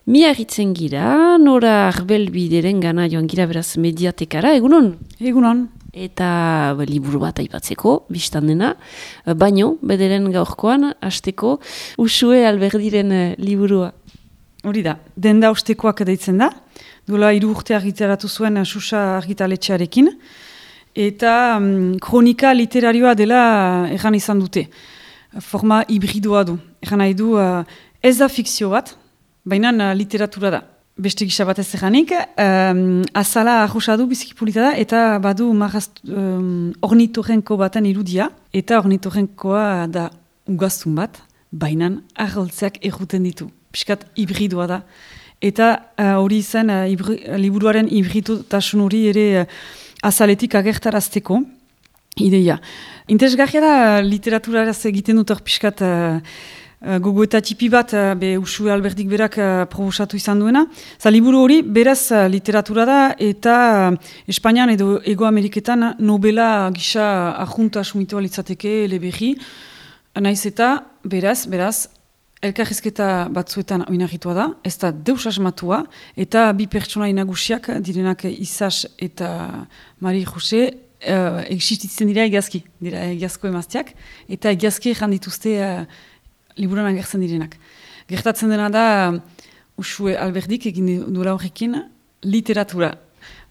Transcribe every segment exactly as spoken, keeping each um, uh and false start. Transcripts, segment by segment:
Mi harritzen gira, Nora Arbelbideren gana joan gira beraz mediatekara, egunon? Egunon. Eta be, liburu bat aipatzeko, biztan dena, baino, bederen gaurkoan, hasteko Uxue Alberdiren uh, liburua. Hori da, denda ostekoak deitzen da, duela hiru urte argitaratu zuen Xuxa argitaletxearekin, eta um, kronika literarioa dela erran izan dute. Forma hibridoa du. Erran nahi du, uh, ez da fikzio bat, baina uh, literatura da. Beste gisa bat ez erranik, um, azala arrosa du bizikipulita da, eta badu marrast, um, ornitorrenko baten irudia, eta ornitorrenkoa da ugaztun bat, baina arroltzeak erruten ditu. Piskat hibridoa da. Eta hori uh, izan, uh, ibri, liburuaren hibridutasun hori ere uh, azaletik agertarazteko ideia. Interesgarria da literaturaraz egiten dut hor piskat uh, uh, gogo eta tipi bat uh, be Uxue Alberdik berak uh, probosatu izan duena. Za liburu hori beraz uh, literatura da eta uh, Espainian edo Ego Ameriketan nobela gisa arjunta sumitua litzateke eleberri. Naiz eta beraz, beraz, elkarrizketa batzuetan oinarritua da, ez da deus asmatua, eta bi pertsona nagusiak direnak Izas eta Mari Jose, uh, existitzen dira egiazki, dira egiazko emazteak, eta egiazki erran dituzte uh, liburan agertzen direnak. Gertatzen dena da, Uxue Alberdik egin duela horrekin literatura.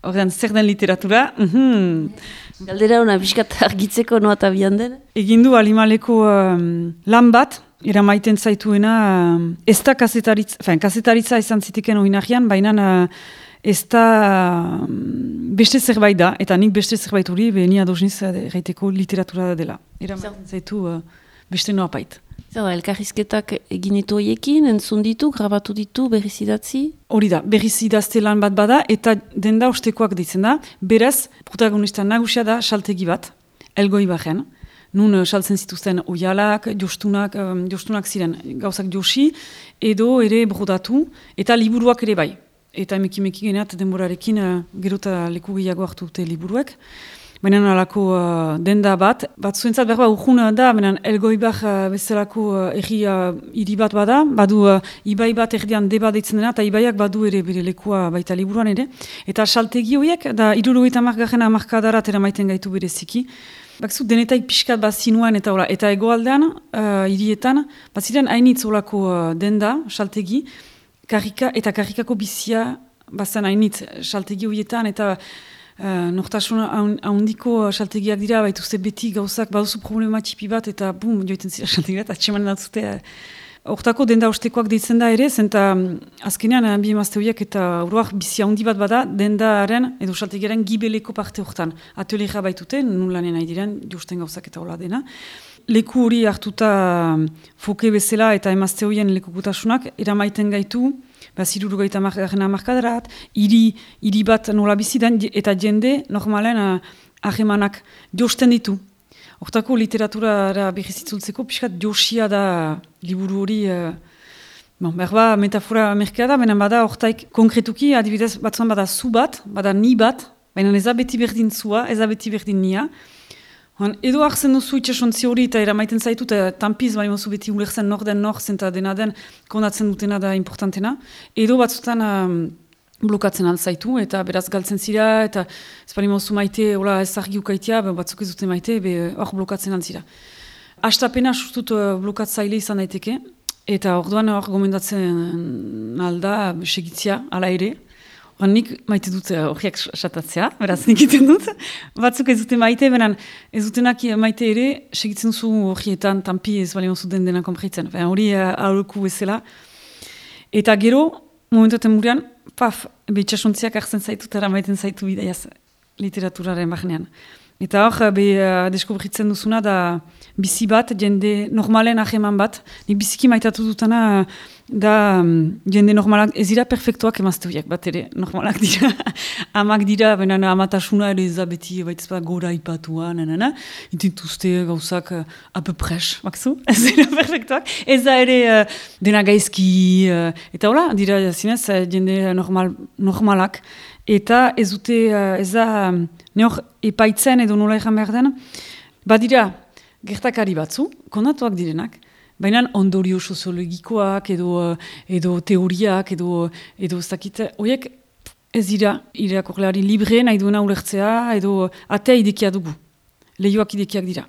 Horrean, zer den literatura? Mm-hmm. Galdera hona, biskat argitzeko noa eta bian den? Egin du Alimaleko um, lan bat, eramaiten zaituena, uh, ez da kasetaritza, fin, kasetaritza izan ziteken oinarrian, baina uh, ez da uh, beste zerbait da, eta nik beste zerbait hori, behini adosniz erraiteko literatura da dela. Eramaiten zaitu uh, beste noa pait. Zer da, elkarrizketak egin ditu horiekin, entzun ditu, grabatu ditu, berriz idatzi? Hori da, berriz idazte lan bat bada, eta denda ostekoak deitzen da, beraz, protagonista nagusia da saltegi bat, Elgoi Barren, nun saltzen zituzten oialak, jostunak, um, jostunak ziren gauzak josi, edo ere brodatu, eta liburuak ere bai. Eta emekimeki geneat denborarekin uh, gero eta leku gehiago hartu dute liburuek. Baina alako uh, denda bat, bat zuentzat berba urjun da, baina Elgoibar uh, bezalako uh, erri uh, hiri bat bada, badu uh, ibai bat erdian deba deitzen dena, eta ibaiak badu ere bere lekua baita liburuan ere. Eta saltegi horiek, da hirurogeita hamargarren hamarkadarat eramaiten gaitu bereziki. Bakzu, denetaik pixkat bat zinuan eta hola, eta egoaldean, uh, hirietan, bat ziren hainitz olako uh, denda, saltegi, karrika, eta karrikako bizia, bazan hainitz saltegi horietan, eta Uh, nortasun haundiko saltegiak dira, baituzte beti gauzak, baduzu problema txipi bat, eta bum, joiten zira saltegiak, atxemanen datzute. Hortako denda ostekoak deitzen da ere, zenta azkenean bi emazte horiek eta uruak bizia handi bat bada, dendaren edo saltegiaren gibeleko parte hortan. Ateliera baitute, nulanen nahi diren, justen gauzak eta hola dena. Leku hori hartuta foke bezala eta emazte horien lekukutasunak, eramaiten gaitu, Baziruru gaita markadarat, hiri, hiri bat nola bizidan, eta jende normalen ahemanak josten ditu. Hortako literaturara berrizitzultzeko, pixkat josia da liburu hori, uh, bon, berba metafora merkea da, baina bada hortaik konkretuki, adibidez batzuan bada zu bat, bada ni bat, baina ez da beti berdin zua, ez da beti berdin nia. Han, edo hartzen duzu itxasontzi hori eta eramaiten zaitu, eta tampiz bali mozu beti ulertzen nor den nor zenta dena den konatzen dutena da importantena. Edo batzutan um, blokatzen altzaitu eta beraz galtzen zira, eta ez bali mozu maite, hola ez argi ukaitia, batzuk ez dute maite, hor blokatzen altzira. Astapena sustut uh, blokatzaile izan daiteke, eta orduan hor gomendatzen alda segitzia, ala ere. Nik maite dut horiak satatzea, beraz nik iten dut. Batzuk ez dute maite, benen ez dutenak maite ere, segitzen zu horietan, tampi ez bali mozu den dena kompritzen. Hori aurreku bezala. Eta gero, momentuaten murean, paf, behitxasontziak hartzen zaitu, eta maiten zaitu bidaiaz literaturaren bahnean. Eta hor, be, uh, deskobritzen duzuna da bizi bat, jende normalen aheman bat. Nik biziki maitatu dutana da um, jende normalak, ez dira perfektuak emazte horiek bat ere, normalak dira. Amak dira, benen amatasuna ere ez da beti, baitez bat gora ipatua, nanana. Intintuzte gauzak uh, apepres, bakzu? Ez dira perfektuak. Ez da ere uh, dena gaizki, uh, eta hola, dira zinez, uh, jende normal, normalak. Eta ez dute, uh, ez da, um, neor epaitzen edo nola egan behar den, badira gertakari batzu, kondatuak direnak, baina ondorio soziologikoak edo, edo teoriak edo, edo ez dakit, horiek ez dira irakurleari libre nahi duena ulertzea edo atea idekia dugu, lehioak idekiak dira.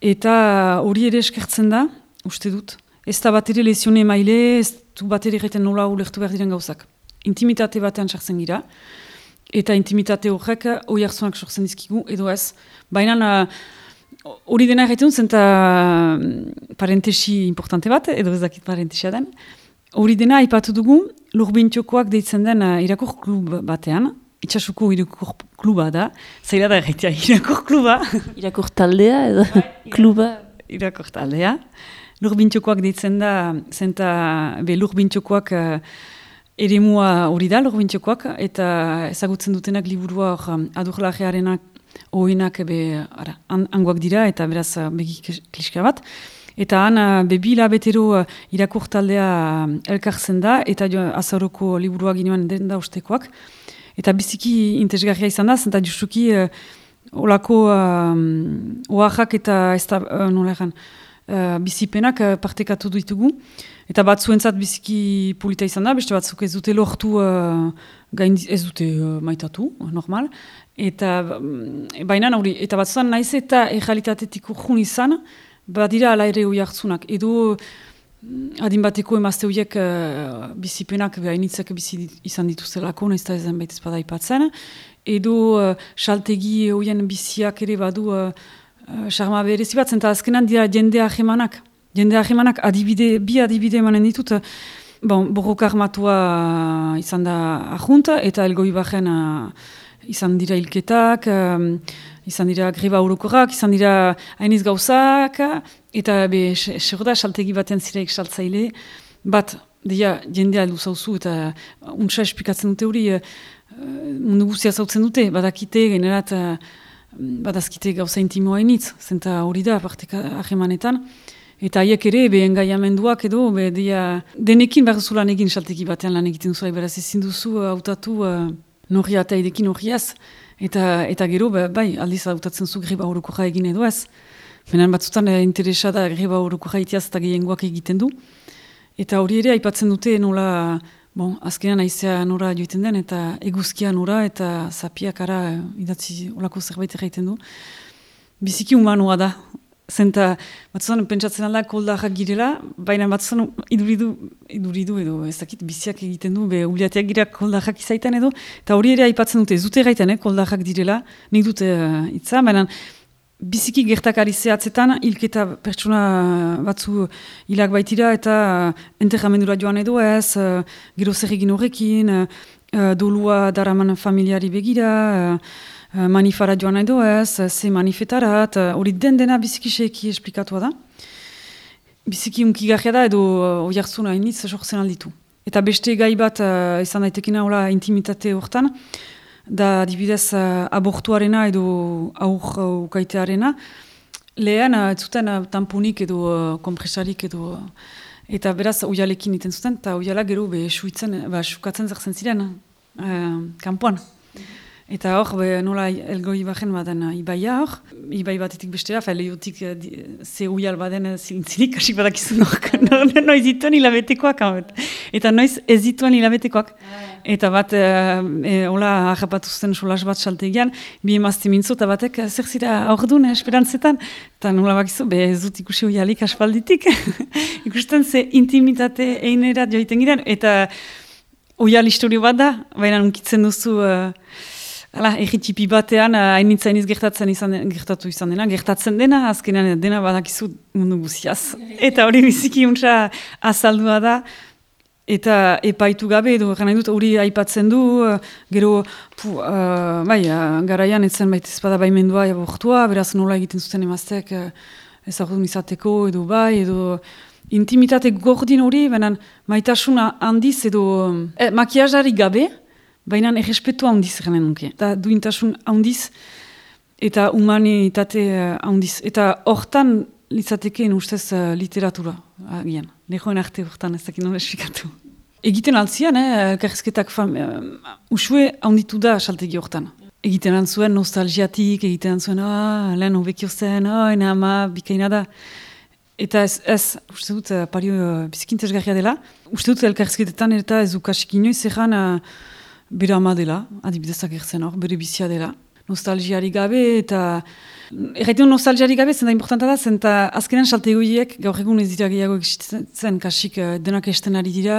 Eta hori ere eskertzen da, uste dut, ez da bat ere lezione maile, ez du bat ere egiten nola ulertu behar diren gauzak. Intimitate batean sartzen gira, eta intimitate horrek hori hartzunak sortzen dizkigu, edo ez. Baina hori dena egiten dut, zenta parentesi importante bat, edo ez dakit parentesia den. Hori dena aipatu dugu, Lurbintxokoak deitzen den irakur klub batean, itxasuko irakur kluba da, zaila da egitea irakur kluba. Irakur taldea edo kluba? Irakur taldea. Lurbintxokoak deitzen da, zenta be Lurbintxokoak uh, eremua hori da, Lurbintxokoak, eta ezagutzen dutenak liburua hor adurlajearenak oinak be, ara, an, angoak dira, eta beraz begi kliska bat. Eta han, bebi labetero irakur taldea elkartzen da, eta azaroko liburua ginoan den da ustekoak. Eta biziki interesgarria izan da, zenta justuki uh, olako uh, oaxak eta ez da, uh, nola egan, uh, bizipenak uh, partekatu ditugu. Eta batzuentzat biziki polita izan da, beste batzuk ez dute lortu, uh, gain, ez dute uh, maitatu, normal. Eta um, baina hori, eta batzuan naiz eta errealitatetik urjun izan, badira ala ere hoi hartzunak. Edo adin bateko emazte horiek uh, bizipenak behainitzak bizi izan dituztelako, nahiz da ezen baitez bada ipatzen. Edo uh, saltegi hoien biziak ere badu charma uh, berezi bat, zenta azkenan dira jende ahemanak. Jende ahemanak adibide, bi adibide emanen ditut. Bon, borroka armatua uh, izan da ahunta, eta elgoi bajen uh, izan dira hilketak, um, izan dira greba orokorrak, izan dira hainiz gauzak, eta be, segura saltegi batean zireik saltzaile, bat, dia, jendea luzauzu, eta untsa esplikatzen dute hori, uh, mundu guztia zautzen dute, badakite, generat, uh, badazkite gauza intimoa hainitz, zenta hori da, parteka ahemanetan, eta haiek ere, be engaiamenduak edo, be, dia, denekin behar duzu lan egin saltegi batean lan egiten duzu, beraz ezin duzu hautatu uh, norria eta edekin norriaz, Eta, eta gero, bai, aldiz hautatzen zu greba orokorra egin edo ez. Benen batzutan eh, interesa da greba orokorra itiaz eta gehiengoak egiten du. Eta hori ere, aipatzen dute nola, bon, azkenean aizea nora joiten den, eta eguzkia nora, eta zapiak ara idatzi olako zerbait egiten du. Biziki humanoa da. Zenta, batzutan pentsatzen alda koldarrak girela, baina batzutan iduridu, iduridu edo ez dakit biziak egiten du, be ubiateak gira koldarrak izaitan edo, eta hori ere aipatzen dute, ez dute gaiten, eh, koldarrak direla, nik dute uh, itza, baina biziki gertakari zehatzetan, hilketa pertsona batzu hilak baitira, eta uh, enterramendura joan edo ez, uh, gero zer egin horrekin, uh, dolua daraman familiari begira, uh, manifara joan edo ez, ze manifetarat, hori den dena biziki seiki esplikatua da. Biziki unkigarria da edo hori hartzuna hainitz sortzen alditu. Eta beste gai bat uh, izan daitekena hola intimitate hortan, da dibidez uh, abortuarena edo aur ukaitearena, lehen uh, ez zuten uh, tamponik edo uh, kompresarik edo, uh, eta beraz oialekin iten zuten, eta oiala gero be suitzen, ba, sukatzen zertzen ziren uh, kanpoan. Eta hor, be, nola elgoi bajen baden ibaia hor, ibai batetik bestera, fa lehiotik ze uial baden zilintzirik, hasik badakizun hor, noiz dituen hilabetekoak, eta noiz ez dituen hilabetekoak. Eta bat, e, hola, ahapatu zuten solas bat saltegian, bi emazte mintzo, eta batek, zer zira aurdun, esperantzetan, eta nola bakizu, be ez dut ikusi uialik aspalditik, ikusten ze intimitate einerat joiten giren, eta uial historio bat da, baina unkitzen duzu, Hala, egitipi batean, hainitza hainiz gertatzen izan, gertatu izan dena, gertatzen dena, azkenean dena badakizu mundu guziaz. Eta hori biziki untsa azaldua da, eta epaitu gabe, edo gana dut hori aipatzen du, gero, pu, uh, bai, uh, garaian etzen baita ezpada baimendua abortua, beraz nola egiten zuten emaztek uh, ezagudun izateko, edo bai, edo intimitate gordin hori, benen maitasuna handiz, edo eh, makiajarik gabe, baina errespetua handiz genen nuke. Eta duintasun handiz eta humanitate handiz. Eta hortan litzatekeen ustez uh, literatura agian. Lehoen arte hortan ez dakit nola esplikatu. Egiten altzian, eh, elkarrizketak fam, uh, usue handitu da saltegi hortan. Egiten antzuen nostalgiatik, egiten antzuen, ah, lehen hobekio zen, ah, ena ama, bikaina da. Eta ez, ez uste dut, uh, pario uh, bizikintesgarria dela. Uste dut, elkarrizketetan eta ez ukasik inoiz ezan uh, bere ama dela, adibidezak erzen hor, bere bizia dela. Nostalgiari gabe eta... Erraiten nostalgiari gabe, zenta importanta da, zenta azkenean saltegoiek gaur egun ez dira gehiago existitzen, kasik uh, denak esten ari dira,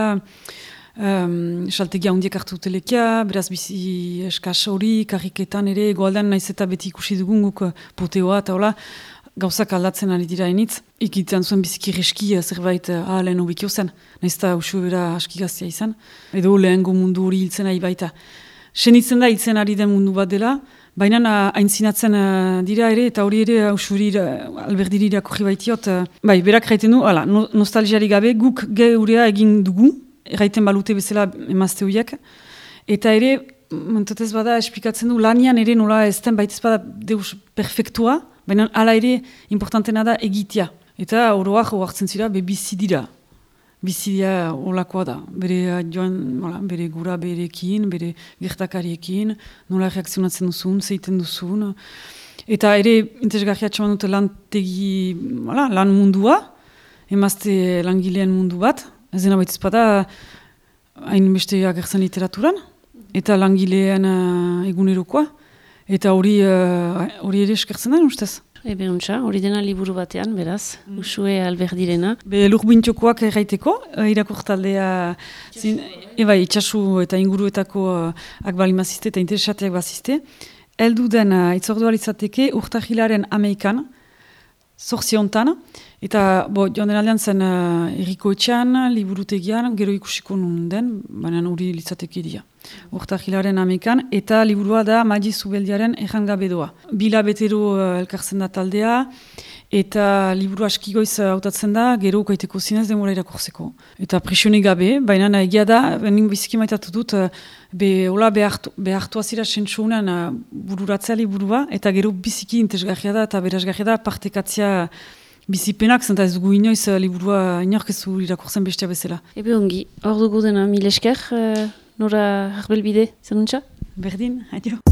um, saltegia hundiek hartu telekia, beraz bizi eskas hori, karriketan ere, goaldan naiz eta beti ikusi dugun guk uh, poteoa eta hola, gauzak aldatzen ari dira enitz. Ikitzen zuen biziki reski zerbait ah, lehen obikio zen. Naiz eta usue bera aski gaztia izan. Edo lehengo mundu hori hiltzen ari baita. Senitzen da hiltzen ari den mundu bat dela, baina aintzinatzen uh, dira ere, eta hori ere usuri uh, alberdiri irakurri baitiot. Uh, bai, berak raiten du, ala, no, nostalgiari gabe, guk geurea egin dugu, erraiten balute bezala emazte horiek. Eta ere, mentatez bada, esplikatzen du, lanian ere nola ez den baitez bada deus perfektua, baina hala ere importantena da egitea. Eta oroak oartzen zira, be bizi dira. Bizi dira olakoa da. Bere joan, hola, bere gura berekin, bere gertakariekin, nola reakzionatzen duzun, zeiten duzun. Eta ere, interesgarria txaman dute lan tegi, hola, lan mundua, emazte langileen mundu bat. Ez dena baitez bada, hain beste agertzen literaturan, eta langileen uh, egunerokoa. Eta hori hori ere eskertzen da, ustez? Ebe untxa, hori dena liburu batean, beraz, mm. Usue Alberdirena. Be lurbintxokoak erraiteko, irakurtaldea, eba itxasu eta inguruetako uh, akbalimaziste eta interesateak baziste. Eldu den uh, itzordualizateke urtahilaren ameikan, zorziontan, eta bo, joan den aldean zen uh, errikoetxean, liburutegian, gero ikusiko nun den, baina hori litzateke dira. Urtahilaren amekan, eta liburua da Magi Zubeldiaren errangabe doa. Bila betero uh, elkartzen da taldea, eta liburu aski goiz hautatzen da, gero ukaiteko zinez demora irakurzeko. Eta presione gabe, baina egia da, benin biziki maitatu dut, uh, be, hola behartu, behartu azira sentsuunan uh, bururatzea liburua, eta gero biziki intesgarria da, eta berazgarria da, partekatzea bizipenak, zenta ez dugu inoiz uh, liburua inorkezu irakurtzen bestea bezala. Ebe ongi, hor dugu dena mil esker, uh... Nora Arbelbide, zenuntza? Berdin, adio.